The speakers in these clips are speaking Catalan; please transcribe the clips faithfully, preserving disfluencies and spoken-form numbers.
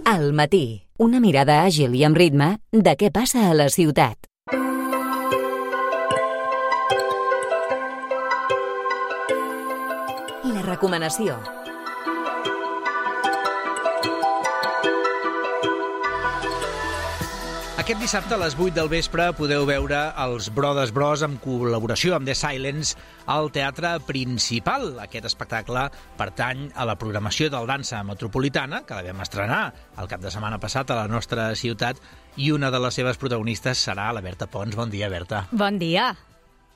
Al matí, una mirada àgil i amb ritme de què passa a la ciutat. La recomanació. Aquest dissabte a les vuit del vespre podeu veure els Brothers Bros en col·laboració amb The Silence al Teatre Principal. Aquest espectacle pertany a la programació del Dansa Metropolitana, que la vam estrenar el cap de setmana passat a la nostra ciutat, i una de les seves protagonistes serà la Berta Pons. Bon dia, Berta. Bon dia.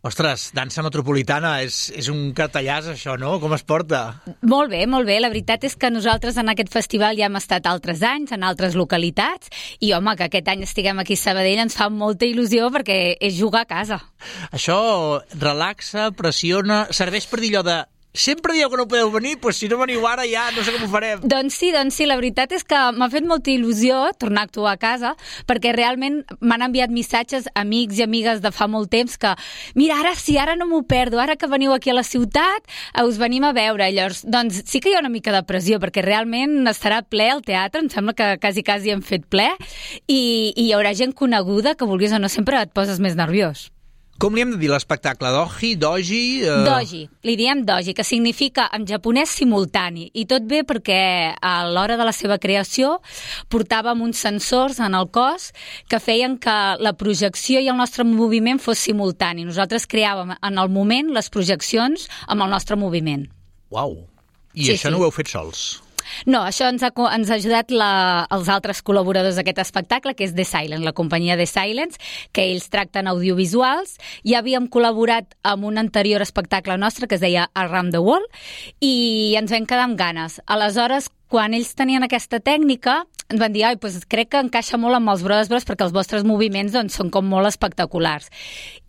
Ostres, Dansa Metropolitana, és, és un cartellàs, això, no? Com es porta? Molt bé, molt bé. La veritat és que nosaltres en aquest festival ja hem estat altres anys, en altres localitats, i, home, que aquest any estiguem aquí a Sabadell ens fa molta il·lusió perquè és jugar a casa. Això relaxa, pressiona, serveix per dir allò de... Sempre dieu que no podeu venir, doncs si no veniu ara ja no sé com ho farem. Doncs sí, doncs sí, la veritat és que m'ha fet molta il·lusió tornar a actuar a casa, perquè realment m'han enviat missatges amics i amigues de fa molt temps que, mira, ara sí, ara no m'ho perdo, ara que veniu aquí a la ciutat, us venim a veure. Llavors, doncs sí que hi ha una mica de pressió, perquè realment estarà ple el teatre, em sembla que quasi, quasi hem fet ple, i, i hi haurà gent coneguda que vulguis o no sempre et poses més nerviós. Com li hem de dir l'espectacle? Doji? Doji? Uh... Doji. Li diem doji, que significa en japonès simultani. I tot bé perquè a l'hora de la seva creació portàvem uns sensors en el cos que feien que la projecció i el nostre moviment fos simultani. Nosaltres creàvem en el moment les projeccions amb el nostre moviment. Uau! I sí, això sí. no ho heu fet sols? No, això ens ha, ens ha ajudat la, els altres col·laboradors d'aquest espectacle, que és The Silence, la companyia The Silence, que ells tracten audiovisuals. Ja havíem col·laborat amb un anterior espectacle nostre que es deia Around the World i ens vam quedar amb ganes. Aleshores, quan ells tenien aquesta tècnica, ens van dir, ai, doncs crec que encaixa molt amb els Brothers Bros perquè els vostres moviments doncs, són com molt espectaculars.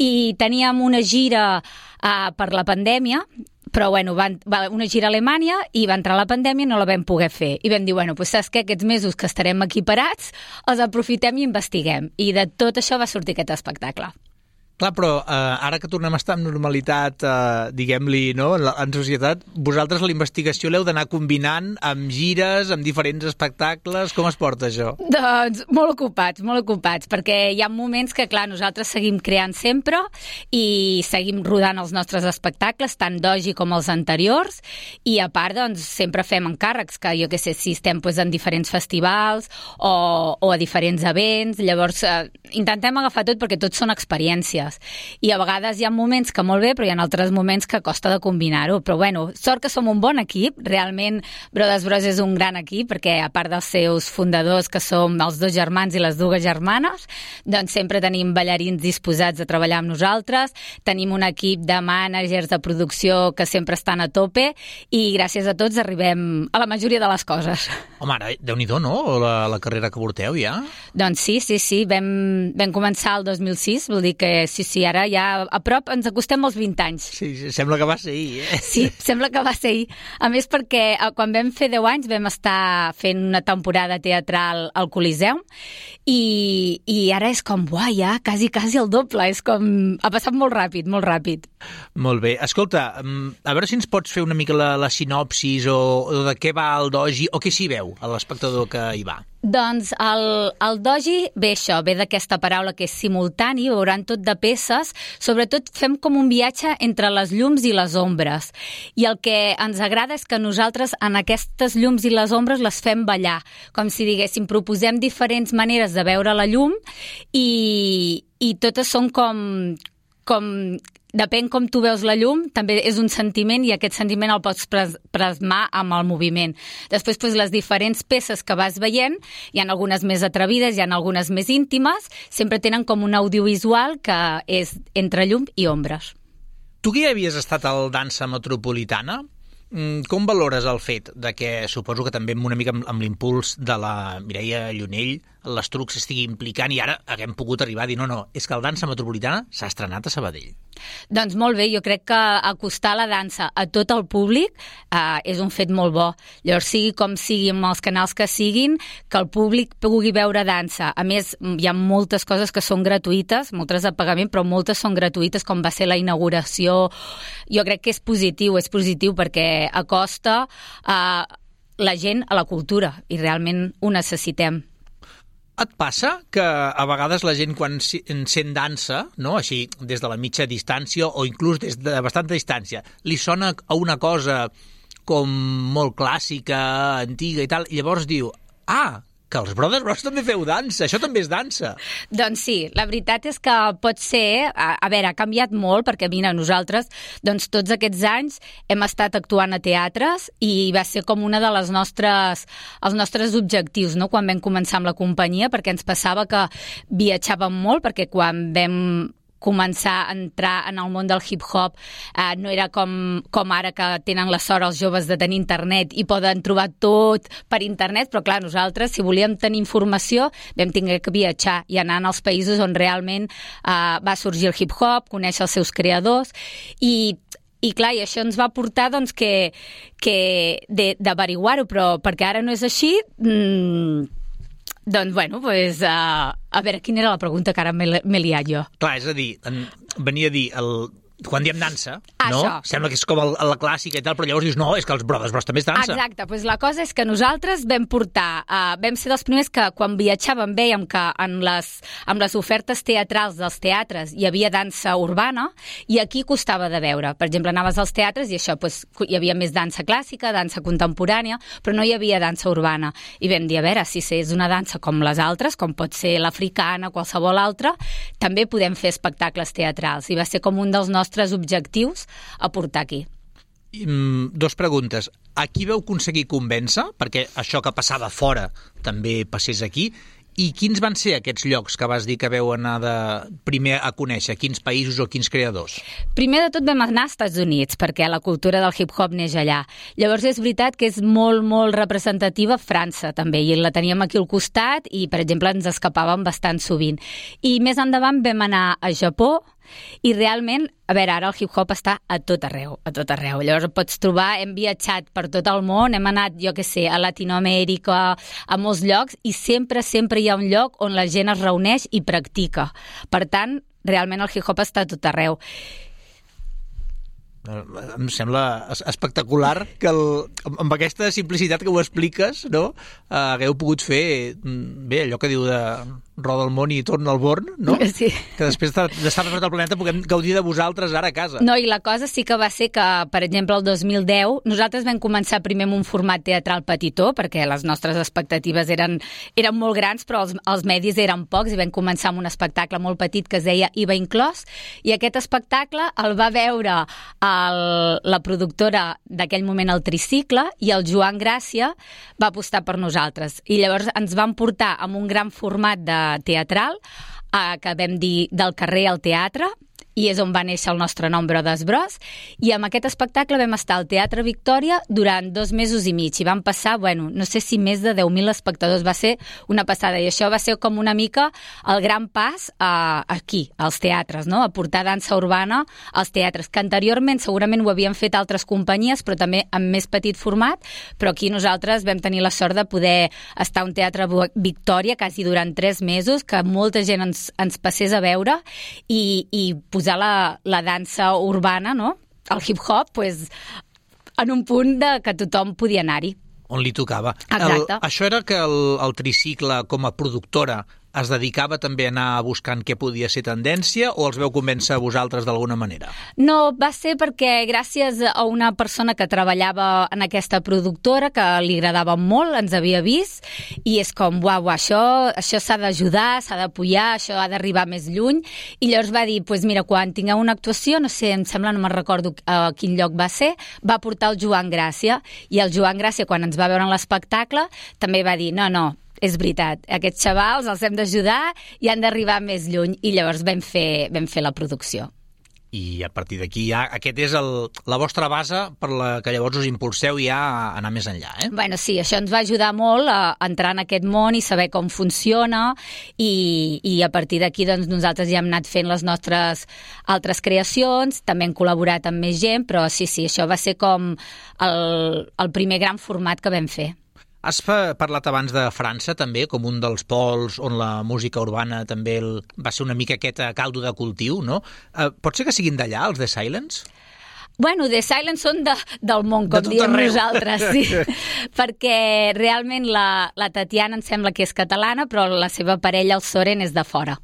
I teníem una gira uh, per la pandèmia, però bueno, van, va una gira a Alemanya i va entrar la pandèmia i no la vam poder fer. I vam dir, bueno, doncs saps què? Aquests mesos que estarem aquí parats, els aprofitem i investiguem. I de tot això va sortir aquest espectacle. Clar, però eh, ara que tornem a estar en normalitat, eh, diguem-li, no?, en, la, en societat, vosaltres la investigació l'heu d'anar combinant amb gires, amb diferents espectacles. Com es porta això? Doncs molt ocupats, molt ocupats, perquè hi ha moments que, clar, nosaltres seguim creant sempre i seguim rodant els nostres espectacles, tant doji com els anteriors, i a part, doncs, sempre fem encàrrecs, que jo què sé, si estem pues, en diferents festivals o, o a diferents events, llavors eh, intentem agafar tot perquè tots són experiències. I a vegades hi ha moments que molt bé, però hi ha altres moments que costa de combinar-ho. Però bueno, sort que som un bon equip. Realment Brothers Bros és un gran equip perquè a part dels seus fundadors, que som els dos germans i les dues germanes, doncs sempre tenim ballarins disposats a treballar amb nosaltres, tenim un equip de mànagers de producció que sempre estan a tope i gràcies a tots arribem a la majoria de les coses. Home, ara, Déu-n'hi-do, no? La, la carrera que porteu ja? Doncs sí, sí, sí. Vam, vam començar el dos mil sis, vol dir que sí, sí, ara ja a prop ens acostem als vint anys. Sí, sí, sembla que va ser ahir, eh? Sí, sembla que va ser ahir. A més perquè quan vam fer deu anys vam estar fent una temporada teatral al Coliseum i, i ara és com, uah, ja, quasi, quasi el doble. És com... Ha passat molt ràpid, molt ràpid. Molt bé. Escolta, a veure si ens pots fer una mica la, la sinopsis o, o de què va el doji o què s'hi veu a l'espectador que hi va. Doncs el, el doji ve això, ve d'aquesta paraula que és simultani, veuran tot de peces, sobretot fem com un viatge entre les llums i les ombres. I el que ens agrada és que nosaltres en aquestes llums i les ombres les fem ballar, com si diguéssim, proposem diferents maneres de veure la llum i, i totes són com... com depèn com tu veus la llum, també és un sentiment i aquest sentiment el pots plasmar amb el moviment. Després, doncs, les diferents peces que vas veient, hi ha algunes més atrevides, hi ha algunes més íntimes, sempre tenen com un audiovisual que és entre llum i ombres. Tu que ja havies estat al Dansa Metropolitana, com valores el fet de que, suposo que també una mica amb, amb l'impuls de la Mireia Llunell, l'Estruc s'estigui implicant i ara haguem pogut arribar a dir no, no, és que el Dansa Metropolitana s'ha estrenat a Sabadell? Doncs molt bé, jo crec que acostar la dansa a tot el públic eh, és un fet molt bo. Llavors, sigui com sigui, amb els canals que siguin, que el públic pugui veure dansa. A més, hi ha moltes coses que són gratuïtes, moltes de pagament, però moltes són gratuïtes, com va ser la inauguració. Jo crec que és positiu, és positiu perquè acosta... Eh, la gent a la cultura, i realment ho necessitem. Et passa que a vegades la gent quan sent dansa, no, així des de la mitja distància o inclús des de bastanta distància, li sona a una cosa com molt clàssica, antiga i tal, i llavors diu, ah, que els Brothers Bros també feu dansa, això també és dansa. Doncs sí, la veritat és que pot ser, a, a veure, ha canviat molt, perquè mira, nosaltres, doncs tots aquests anys hem estat actuant a teatres i va ser com una de les nostres, els nostres objectius, no?, quan vam començar amb la companyia, perquè ens passava que viatjàvem molt, perquè quan vam començar a entrar en el món del hip-hop eh, no era com, com ara que tenen la sort els joves de tenir internet i poden trobar tot per internet, però clar, nosaltres, si volíem tenir informació, vam tenir que viatjar i anar als països on realment eh, va sorgir el hip-hop, conèixer els seus creadors i I clar, i això ens va portar doncs, que, que d'averiguar-ho, però perquè ara no és així, mmm, doncs, bueno, pues, uh, a veure, quina era la pregunta que ara m'he liat jo? Clar, és a dir, en, venia a dir, el, quan diem dansa, ah, no? Això. Sembla que és com el, la clàssica i tal, però llavors dius, no, és que els Brothers Bros també és dansa. Exacte, doncs la cosa és que nosaltres vam portar, uh, vam ser dels primers que quan viatjàvem vèiem que en les, amb les ofertes teatrals dels teatres hi havia dansa urbana i aquí costava de veure. Per exemple, anaves als teatres i això, doncs, hi havia més dansa clàssica, dansa contemporània, però no hi havia dansa urbana. I vam dir, a veure, si és una dansa com les altres, com pot ser l'africana, qualsevol altra, també podem fer espectacles teatrals. I va ser com un dels nostres objectius a portar aquí. Mm, dos preguntes. A qui vau aconseguir convèncer perquè això que passava fora també passés aquí? I quins van ser aquests llocs que vas dir que veu anar de primer a conèixer? Quins països o quins creadors? Primer de tot vam anar als Estats Units, perquè la cultura del hip-hop neix allà. Llavors és veritat que és molt, molt representativa França, també, i la teníem aquí al costat i, per exemple, ens escapàvem bastant sovint. I més endavant vam anar a Japó, i realment, a veure, ara el hip-hop està a tot arreu, a tot arreu. Llavors pots trobar, hem viatjat per tot el món, hem anat, jo què sé, a Latinoamèrica, a molts llocs, i sempre, sempre hi ha un lloc on la gent es reuneix i practica. Per tant, realment el hip-hop està a tot arreu. Em sembla espectacular que el, amb aquesta simplicitat que ho expliques, no? Uh, hagueu pogut fer bé, allò que diu de roda el món i torna al Born, no? Sí. Que després d'estar per tot el planeta puguem gaudir de vosaltres ara a casa. No, i la cosa sí que va ser que, per exemple, el dos mil deu nosaltres vam començar primer amb un format teatral petitó, perquè les nostres expectatives eren, eren molt grans, però els, els medis eren pocs, i vam començar amb un espectacle molt petit que es deia I V A Inclòs, i aquest espectacle el va veure el, la productora d'aquell moment, el Tricicle, i el Joan Gràcia va apostar per nosaltres. I llavors ens van portar amb un gran format de teatral, eh, que vam dir del carrer al teatre, i és on va néixer el nostre nom, Brothers Bros, i amb aquest espectacle vam estar al Teatre Victòria durant dos mesos i mig, i vam passar, bueno, no sé si més de deu mil espectadors, va ser una passada, i això va ser com una mica el gran pas a, aquí, als teatres, no?, a portar dansa urbana als teatres, que anteriorment segurament ho havien fet altres companyies, però també amb més petit format, però aquí nosaltres vam tenir la sort de poder estar a un Teatre Victòria quasi durant tres mesos, que molta gent ens, ens passés a veure, i, i posar la, la dansa urbana, no?, el hip-hop, pues, en un punt de que tothom podia anar-hi. On li tocava. Exacte. El, això era que el, el Tricicle, com a productora, es dedicava també a anar buscant què podia ser tendència, o els veu convèncer a vosaltres d'alguna manera? No, va ser perquè gràcies a una persona que treballava en aquesta productora, que li agradava molt, ens havia vist, i és com, uau, això, això s'ha d'ajudar, s'ha d'apoyar, això ha d'arribar més lluny, i llavors va dir, pues mira, quan tingueu una actuació, no sé, em sembla, no me'n recordo a quin lloc va ser, va portar el Joan Gràcia, i el Joan Gràcia, quan ens va veure en l'espectacle, també va dir, no, no, és veritat, aquests xavals els hem d'ajudar i han d'arribar més lluny, i llavors vam fer, vam fer la producció. I a partir d'aquí ja, aquest és el, la vostra base per la que llavors us impulseu ja a anar més enllà, eh? Bueno, sí, això ens va ajudar molt a entrar en aquest món i saber com funciona, i, i a partir d'aquí doncs, nosaltres ja hem anat fent les nostres altres creacions, també hem col·laborat amb més gent, però sí, sí, això va ser com el, el primer gran format que vam fer. Has parlat abans de França, també, com un dels pols on la música urbana també el, va ser una mica aquest caldo de cultiu, no? Eh, pot ser que siguin d'allà, els The Silence? Bueno, The Silence són de, del món, com diem arreu. Nosaltres, sí. Perquè realment la, la Tatiana em sembla que és catalana, però la seva parella, el Soren, és de fora.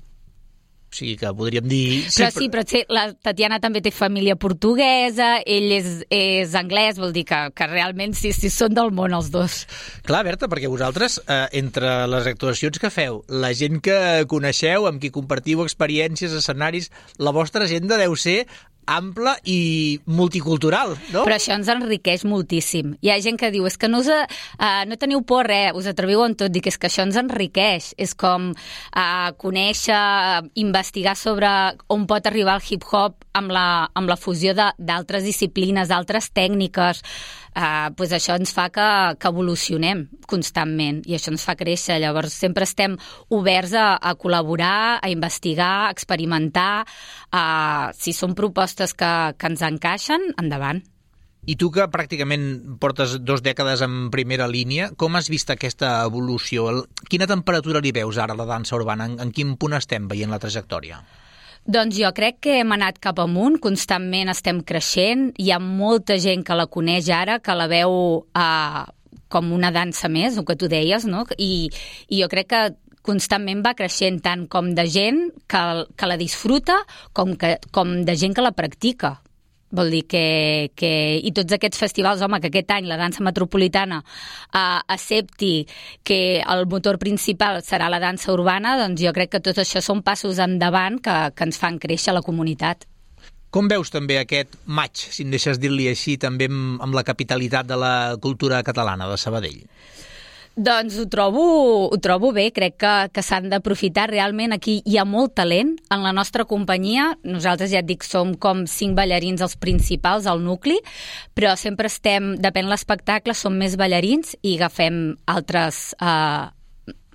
O sigui que podríem dir... Però sí, però sí, la Tatiana també té família portuguesa, ell és, és anglès, vol dir que, que realment sí, sí, són del món els dos. Clar, Berta, perquè vosaltres, eh, entre les actuacions que feu, la gent que coneixeu, amb qui compartiu experiències, escenaris, la vostra agenda deu ser ampla i multicultural, no? Però això ens enriqueix moltíssim. Hi ha gent que diu, és que no, us, uh, no teniu por res, us atreviu en tot. Dic, és que això ens enriqueix. És com uh, conèixer, uh, investigar sobre on pot arribar el hip-hop amb la, amb la fusió d'altres disciplines, d'altres tècniques. Uh, pues això ens fa que, que evolucionem constantment i això ens fa créixer. Llavors sempre estem oberts a, a col·laborar, a investigar, a experimentar. Uh, si són propostes que, que ens encaixen, endavant. I tu, que pràcticament portes dos dècades en primera línia, com has vist aquesta evolució? Quina temperatura li veus ara a la dansa urbana? En, en quin punt estem veient la trajectòria? Doncs jo crec que hem anat cap amunt, constantment estem creixent, hi ha molta gent que la coneix ara, que la veu uh, com una dansa més, el que tu deies, no? I, i jo crec que constantment va creixent tant com de gent que, que la disfruta com, que, com de gent que la practica. Vol dir que, que... I tots aquests festivals, home, que aquest any la dansa metropolitana eh, accepti que el motor principal serà la dansa urbana, doncs jo crec que tot això són passos endavant que, que ens fan créixer la comunitat. Com veus també aquest maig, si em deixes dir-li així, també amb, amb la capitalitat de la cultura catalana de Sabadell? Doncs ho trobo, ho trobo bé, crec que, que s'han d'aprofitar. Realment aquí hi ha molt talent en la nostra companyia. Nosaltres, ja et dic, som com cinc ballarins els principals al nucli, però sempre estem, depèn de l'espectacle, som més ballarins i agafem altres... Eh,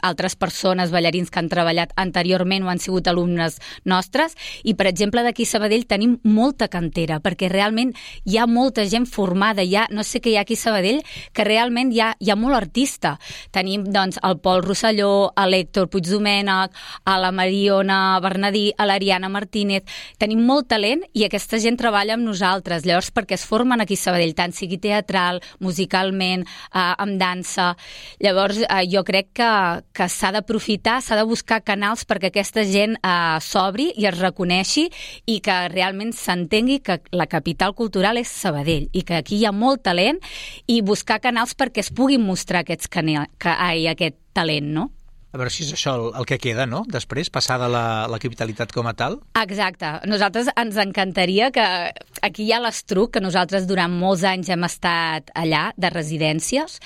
altres persones, ballarins que han treballat anteriorment o han sigut alumnes nostres, i per exemple d'aquí a Sabadell tenim molta cantera, perquè realment hi ha molta gent formada, hi ha, no sé què hi ha aquí a Sabadell, que realment hi ha, hi ha molt artista. Tenim doncs el Pol Rosselló, a l'Héctor Puigdomènech, a la Mariona Bernadí, a l'Ariana Martínez, tenim molt talent i aquesta gent treballa amb nosaltres, llavors perquè es formen aquí a Sabadell, tant sigui teatral, musicalment, eh, amb dansa. Llavors eh, jo crec que que s'ha d'aprofitar, s'ha de buscar canals perquè aquesta gent eh, s'obri i es reconeixi i que realment s'entengui que la capital cultural és Sabadell i que aquí hi ha molt talent i buscar canals perquè es puguin mostrar aquests canals, que, ai, aquest talent, no? A veure si és això el, el que queda, no?, després, passar de la, la capitalitat com a tal. Exacte. Nosaltres ens encantaria que... Aquí hi ha l'Estruc, que nosaltres durant molts anys hem estat allà, de residències.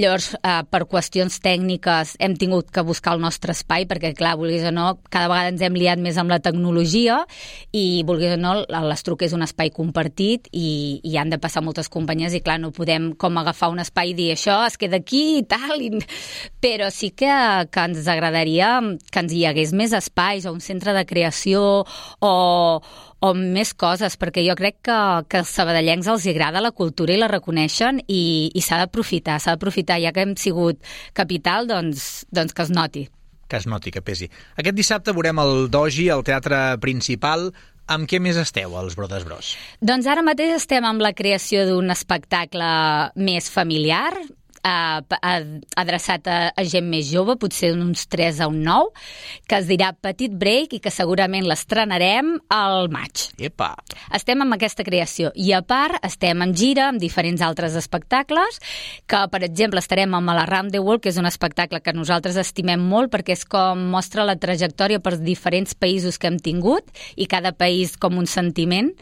Llavors, eh, per qüestions tècniques hem tingut que buscar el nostre espai, perquè, clar, vulguis o no, cada vegada ens hem liat més amb la tecnologia i, vulguis o no, l'Estruc és un espai compartit i, i han de passar moltes companyies i, clar, no podem com agafar un espai i dir això es queda aquí i tal, i... però sí que, que ens agradaria que ens hi hagués més espais o un centre de creació o, o més coses, perquè jo crec que, que als sabadellencs els agrada la cultura i la reconeixen i, i s'ha d'aprofitar, s'ha d'aprofitar, ja que hem sigut capital, doncs, doncs que es noti. Que es noti, que pesi. Aquest dissabte veurem el Doji, al Teatre Principal. Amb què més esteu, els Brodes Bros? Doncs ara mateix estem amb la creació d'un espectacle més familiar, Uh, adreçat a, a gent més jove, potser d'uns tres a un nou, que es dirà Petit Break i que segurament l'estrenarem al maig. Epa! Estem amb aquesta creació i a part estem en gira amb diferents altres espectacles que, per exemple, estarem amb la Round the World, que és un espectacle que nosaltres estimem molt perquè és com mostra la trajectòria per diferents països que hem tingut i cada país com un sentiment,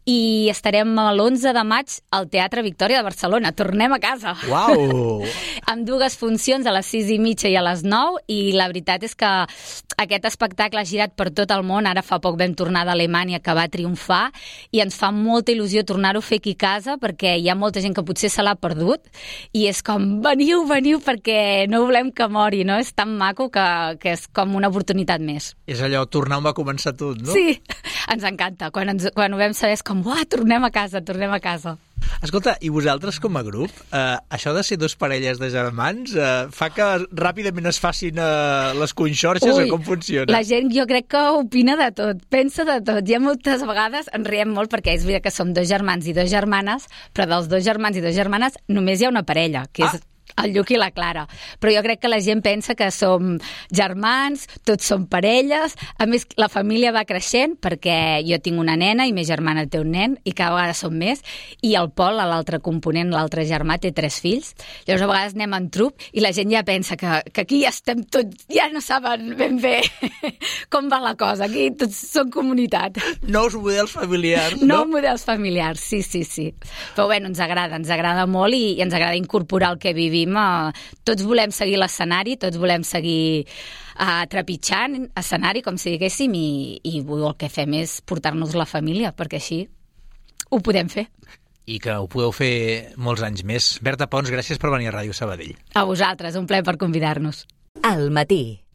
i estarem l'onze de maig al Teatre Victòria de Barcelona. Tornem a casa! Uau! Amb dues funcions, a les sis i mitja i a les nou, i la veritat és que aquest espectacle ha girat per tot el món. Ara fa poc vam tornar d'Alemanya, que va triomfar, i ens fa molta il·lusió tornar-ho a fer aquí a casa, perquè hi ha molta gent que potser se l'ha perdut, i és com, veniu, veniu, perquè no volem que mori, no? És tan maco que, que és com una oportunitat més. És allò, tornar on va començar tot, no? Sí, ens encanta. Quan, ens, quan ho vam saber és com, uah, tornem a casa, tornem a casa. Escolta, i vosaltres com a grup, eh, això de ser dos parelles de germans eh, fa que ràpidament es facin eh, les conxorxes o com funciona? La gent jo crec que opina de tot, pensa de tot. Hi ha moltes vegades, ens riem molt perquè és veritat que som dos germans i dos germanes, però dels dos germans i dos germanes només hi ha una parella, que és... Ah. El Lluc i la Clara. Però jo crec que la gent pensa que som germans, tots som parelles. A més, la família va creixent perquè jo tinc una nena i ma germana té un nen i cada vegada som més. I el Pol, l'altre component, l'altre germà, té tres fills. Llavors a vegades anem en trup i la gent ja pensa que, que aquí ja estem tots, ja no saben ben bé com va la cosa. Aquí tots som comunitat. Nous models familiars, no? Nous models familiars, sí, sí, sí. Però bueno, ens agrada, ens agrada molt i, i ens agrada incorporar el que vivim. Tots volem seguir l'escenari, tots volem seguir uh, trepitjant escenari, com si diguéssim, i, i el que fem és portar-nos la família, perquè així ho podem fer. I que ho podeu fer molts anys més. Berta Pons, gràcies per venir a Ràdio Sabadell. A vosaltres, un plaer per convidar-nos. Al matí.